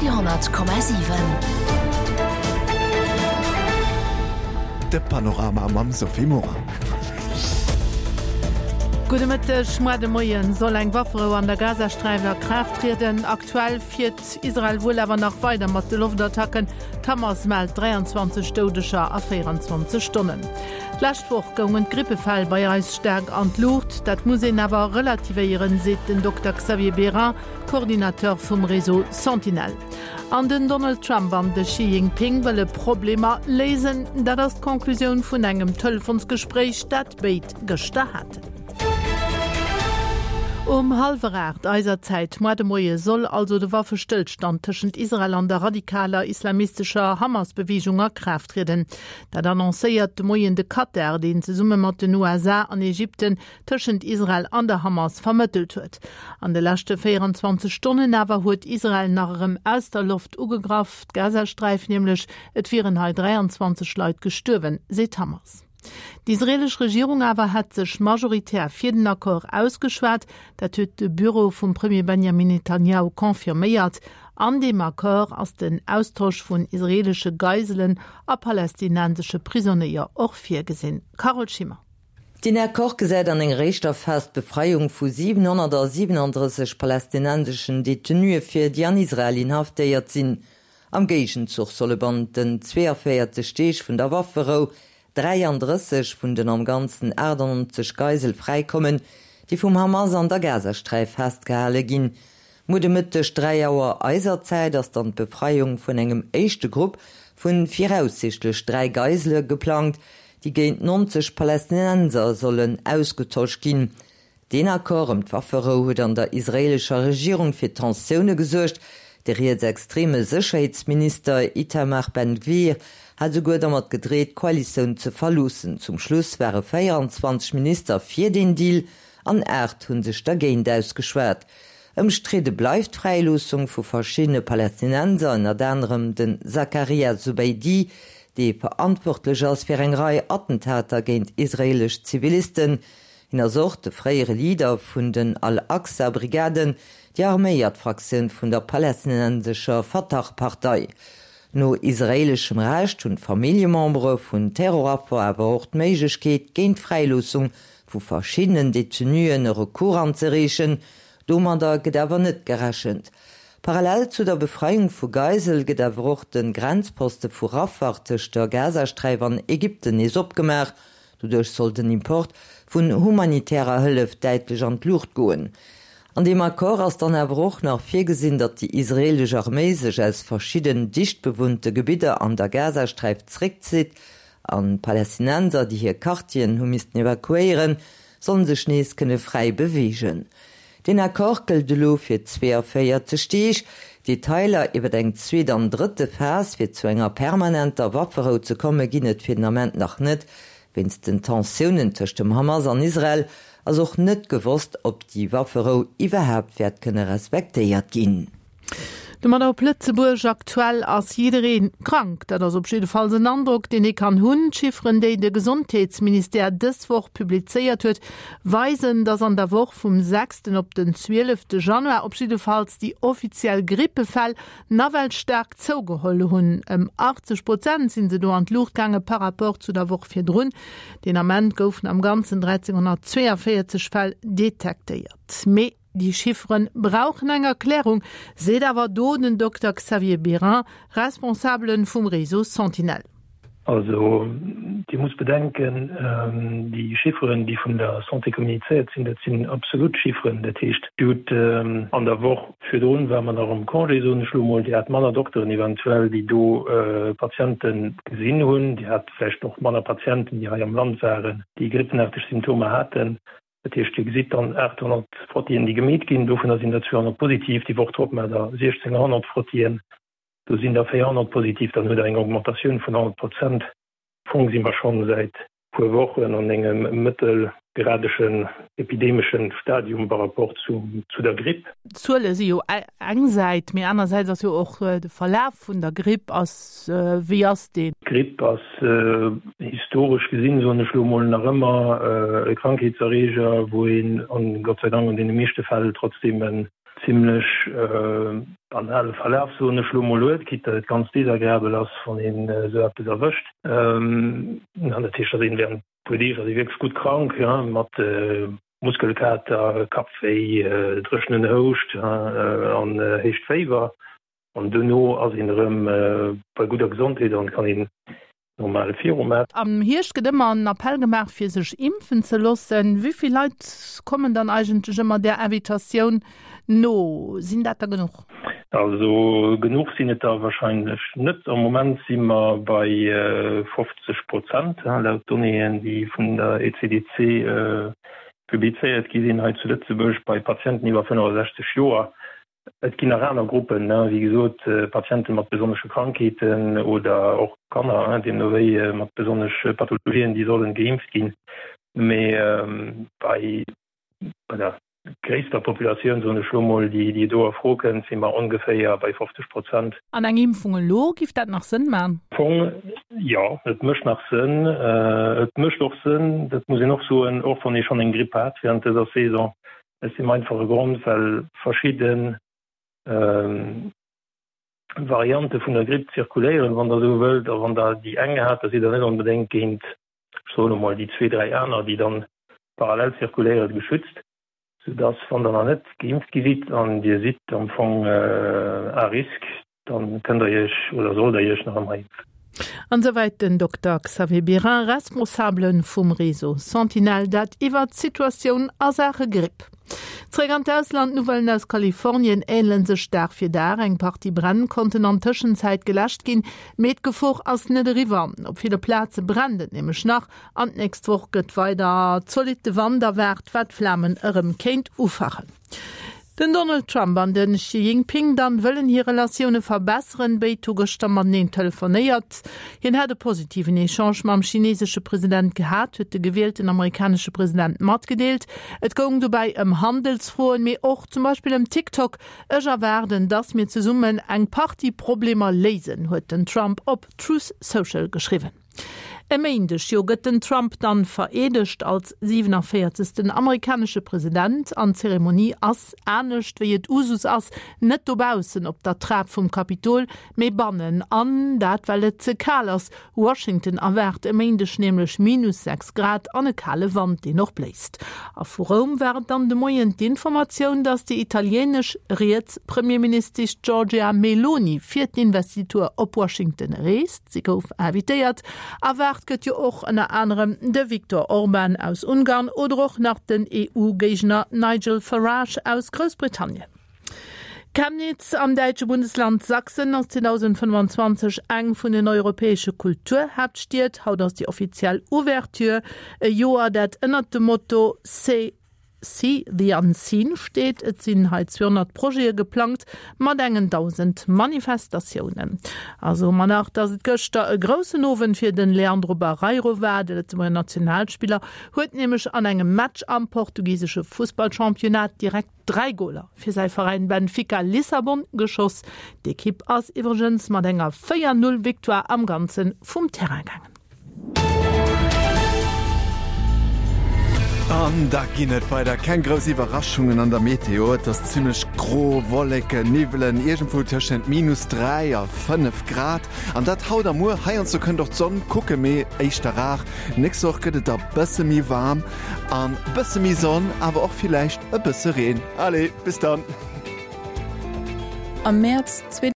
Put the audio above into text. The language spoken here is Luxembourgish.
Radio,7. De Panorama mam Sophie Morang. Gudde Mëtteg. Muer de Moien soll eng Wafferou an der Gazasträif a Kraaft trieden. Aktuell fiert Israel wuel awer nach weider mat de Loftattacken. D'Hamas mellt 23 Doudeger a 24 Stonnen. D'lescht Woch goungen d'Grippefäll bei eis staark an d'Luucht. Dat muss een awer relativéieren, seet den Dokter Xavier Bérain. Coordinateur vum Réseau Sentinelle. An den Donald Trump an de Xi Jinping wëlle Problemer léisen. Dat ass d'Conclusioun vun engem Telefonsgespréich, dat béid gëschter haten. Um hallwer 8 eiser Zäit moar de Moie soll also de Waffestëllstand tëschent Israel an der radikaler islamistescher Hamas-Beweegung a Kraaft trieden. Dat annoncéiert de Moien de Katar, deen zesumme mat den USA an Ägypten tëschent Israel an der Hamas vermëttelt huet. An de leschte 24 Stonnen awer huet Israel nach erëm aus der Loft ugegraff, d'Gazasträif nämlech. Et wieren hei 23 Leit gestuerwen, seet d'Hamas. D'israeelesch Regierung awer hätt sech majoritär fir den Accord ausgeschwat. Dat huet de Büro vum Premier Benjamin Netanjahu confirméiert. An deem Accord ass den Austosch vun israeelesche Geiselen a palästinensesche Prisonéier och virgesinn. Carole Schimmer. Deen Accord gesäit an enger éischter Phas d'Befreiung vu 737 palästinenseschen Detenuë vir, déi an Israel inhaftéiert sinn. Am Géigenzuch solle bannent den 42 Deeg vun der Wafferou 33 vun den am Ganzen 98 Geisel fräikommen, déi vum Hamas an der Gazasträif festgehale ginn. Muer de Mëtteg 3 Auer eiser Zäit ass dann d'Befreiung vun engem éischte Grupp vu viraussiichtlech 3 Geisele geplangt, déi géint 90 Palästinenser sollen ausgetosch ginn. Deen Accord ëm d'Wafferou huet an der israeelescher Regierung fir Tensioune gesuergt. De rietsextreme Sécherheetsminister Itamar Ben-Gvir hat esouguer dermat gedreet, d'Koalitioun ze verloossen. Zum Schluss ware 24 Minister fir deen Deal an 8 hu sech dergéint ausgeschwat. Ëmstridde bleift d'Fräiloossung vu verschiddene Palästinenser, ënnert anerem de Zakaria Zubeidi, dee verantwortlech ass fir eng Rei Attentater géint israeelesch Zivilisten. Hien ass och de fréiere Leader vun den Al-Aqsa-Brigaden, déi arméiert Fraktioun vun der palästinensescher Fatah-Partei. No israeeleschem Recht hunn d'Familljemembere vun Terroraffer awer och d'Méiglechkeet, géint d'Fräiloossung vu verschiddenen Detenuen e Recours anzereechen. Domadder gëtt awer net gerechent. Parallel zu der Befreiung vu Geisel gëtt awer och de Grenzposte vu Rafah tëscht der Gazasträif an Ägypten nees opgemaach. Doduerch soll den Import vun humanitärer Hëllef däitlech an d'Luucht goen. An deem Accord ass dann awer och nach virgesinn, datt déi israeelesch Arméi sech aus verschidden dicht bewunnte Gebidder an der Gazasträif zeréckzitt An d'Palästinenser, déi hir Quartieren hu missten evakuéieren, sollen sech nees kënne fräi beweegen. Deen Accord gëllt elo fir 42 Deeg. Detailer iwwer eng zweet an drëtte Phas, fir zu enger permanenter Wafferou ze komme ginn et fir den Ament nach net. Wéinst den Tensiounen tëscht dem Hamas an Israel ass och net gewosst, ob déi Wafferou iwwerhaapt wäert kënne respektéiert ginn. Domadder op Lëtzebuerg, Aktuell ass jidderee krank. Dat ass op jiddefalls en Androck, deen ee kann hunn. D'Chifferen, déi de Gesondheetsministère dës Woch publizéiert huet, weisen, datt an der Woch vum sechsten op den zwielefte Januar op jiddefalls déi offiziell Grippefäll nawell staark zougeholl hunn. Ëm 80 Prozent sinn se do an d'Luucht gaange par rapport zu der Woch virdrun. Deen Ament goufen am Ganzen 1.342 Fäll detektéiert. Mee Déi Chiffere brauchen eng Erklärung, seet awer do den Dokter Xavier Bérain, Responsabele vum Réseau Sentinelle. Also Dir musst bedenken, déi Chifferen, déi vun der Santé kommunizéiert sinn, dat sinn absolut Chifferen. Dat heescht, Dir hutt an der Woch virdrun, war mer nach am Congé, soen ech elo emol, Dir hat manner Dokteren eventuell, déi do Patiente gesinn hunn. Dir hat vläicht och manner Patienten, déi hei am Land waren, déi grippenaarteg Symptomer haten. Dat heescht, Dir gesitt dann 800 Frottien, déi gemeet ginn, dovunner sinn der 200 positiv. Déi Woch drop maacht Der 1.600 Frottien, do sinn der 400 positiv. Dann hutt Der eng Augmentatioun vun 100 Prozent. Am Fong si mer schonn säit puer Wochen an engem mëttelgradeschen epidemeschen Stadium par rapport zu der Gripp. D'Zuele si jo eng Säit, mee anersäits ass jo och de Verlaf vun der Gripp ass, wéi ass deen? D'Gripp ass historesch gesinn, soen ech elo mol, nach ëmmer e Krankheetserreeger, wou een, an Gott sei Dank an deene meeschte Fäll, trotzdeem en. zimlech banale Verlaf, soen ech lo mol, huet, quitte datt et ganz desagreabel ass, wann een esou eppes erwëscht. An dat heescht, datt een während e puer Deeg ass ee wierklech gutt krank, mat Muskelkater, Kappwéi, dréchenen Houscht an héicht Féiwer. An duerno ass een erëm bei gudder Gesondheet an kann een normal viru maachen. Am Hierscht gëtt ëmmer en Appell gemaach fir sech impfen ze loossen. Wéi vill Leit kommen dann eigentlech ëmmer där Invitatioun no? Sinn dat der genuch? Also genuch sinn et der wahrscheinlech net. Am Moment si mer bei 50 Prozent, laut Donnéeën déi vun der ECDC publizéiert gi sinn hei zu Lëtzebuerg bei Patienten iwwer 65 Joer. Et ginn nach aner Gruppen, wéi gesot, Patiente mat besonnesche Krankheeten oder och Kanner, deemno wéi, mat besonnesche Pathologien, déi sollen geimpft ginn. Mee bei der gréisster Populatioun, soen ech elo mol, déi do a Fro kënnt, si mer ongeféier bei 50 Prozent. An eng Impfung elo, giff dat nach Sënn man? Am Fong jo, et mécht nach Sënn. Et mécht och Sënn, dat muss een och soen, och wann ee schonn eng Gripp hat während dëser Saison, Aus deem einfache Grond, well verschidde Variante vun der Gripp zirkuléieren, wann Der esou wëllt. A wann Der déi eng hat, da sidd Der net onbedéngt géint, ech soen emol, déi zwee, dräi aner, déi dann parallel zirkuléieren, geschützt. Soudass, wann Der nach net geimpft gi sidd an Dir sidd am Fong à risque, Dann kënnt der Iech oder sollt der Iech nach ëmmer impfen. An esouwäit den Dokter Xavier Birin, Responsabele vum Réseau Sentinelle, dat iwwert d'Situatioun a Saache Gripp. Zeréck an d'Ausland, D'Nouvellen aus Kalifornien änele sech Dag fir Dag. Eng Partie Bränn konnten an Tëschenzäit geläscht ginn, mee d'Gefor ass net eriwwer. Op ville Plaze brennt et nämlech nach an d'nächst Woch gëtt weider zolitte Wand erwaart, wat d'Flamen erëm kéint ufachen. Den Donald Trump an de Xi Jinping dann wëllen hir Relatioune verbesseren. Béid hu gëschter mateneen telefonéiert. Hien hätt e positiven Echange mam chinesesche President gehat, huet de gewielten amerikanesche President matgedeelt. Et goung dobäi ëm Handelsfroen, mee och zum Beispill ëm TikTok. Ech erwaarden, datt mir zesummen eng Partie Problemer léisen, huet den Trump op Truth Social geschriwwen. E Méindeg jo gëtt den Trump dann vereedegt als 47. amerikanesche President an d'Zeremonie ass, anescht wéi et Usus ass, net dobaussen op der Trap vum Kapitol, mee bannen. An dat well et ze kal ass. Washington erwaart e Méindeg nämlech minus 6 Grad an e kale Wand, deen och bléist. A vu Roum war et dann de Moien d'Informatioun, datt déi italienesch riets Premierministesch Giorgia Meloni fir d'Investitur op Washington reest. Si gouf invitéiert. Erwaart gëtt jo och ënner anerem de Viktor Orban aus Ungarn oder och nach den EU-Géigner Nigel Farage aus Groussbritannien. Chemnitz am däitsche Bundesland Sachsen ass 2025 eng vun den europäesche Kulturhaaptstied. Haut ass déi offiziell Ouverture, e Joer dat ënnert dem Motto C'est See the Unseen steet. Et sinn hei 200 Projete geplangt mat engen 1.000 Manifestatiounen. A soe mer nach, datt et gëschter e groussen Owend fir de Leandro Barreiro war. De Lëtzebuerger Nationalspiller huet nämlech an engem Match am portugisesche Fussballchampionnat direkt 3 Goler fir säi Veräin Benfica Lissabon geschoss. D'Ekipp ass iwwregens mat enger 4, 0 Victoire am Ganze vum Terrain gaangen. An da ginn et weider keng grouss Iwwerraschungen an der Meteo. Et ass zimmlech gro, Wolleken, Niwwelen, iergendwou tëschent minus 3 a 5 Grad. An dat haut a muer. Heiansdo kënnt och d'Sonn kucke, mee éischter rar. Nächst Woch gëtt et da bësse méi waarm an bësse méi Sonn, awer och villäicht e bësse Reen. Allez, bis dann! Am Mäerz.